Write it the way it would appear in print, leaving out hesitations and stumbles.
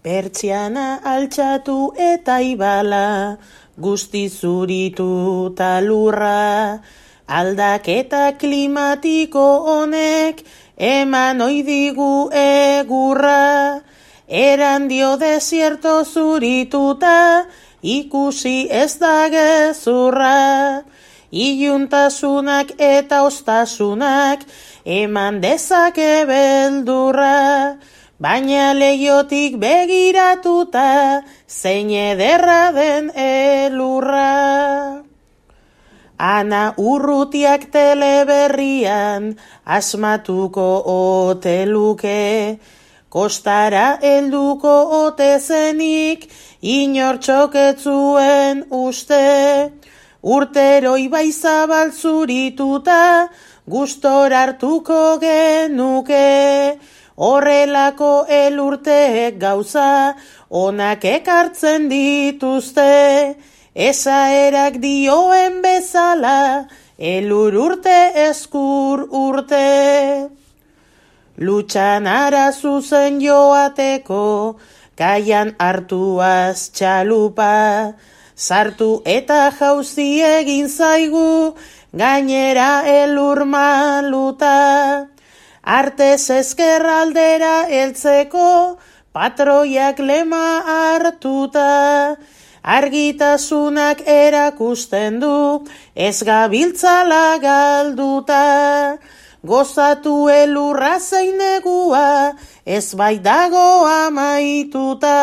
Pertsiana altxatu eta ibala, guzti zuritu talurra, aldaketa klimatiko honek, eman oidigu egurra, eran dio desierto zurituta, ikusi ez da gezurra, iluntasunak eta ostasunak, eman dezake beldurra, baina leiotik begiratuta, zein ederra den elurra. Ana Urrutiak teleberrian, asmatuko ote luke, kostara helduko ote zenik, inor txoketzuen uste, urtero ibai zabal zurituta, gustora hartuko genuke, horrelako elurteek gauza, onak ekartzen dituzte, esaerak dioen bezala, elur urte eskur urte. Lutxan ara zuzen joateko, kaian hartuaz txalupa, sartu eta jauzi egin zaigu, gainera elur maluta. Artez ezkerraldera heltzeko, patroiak lema hartuta, argitasunak erakusten du, ez gabiltzala galduta, gozatu elurra zein negua, ez baitago amaituta.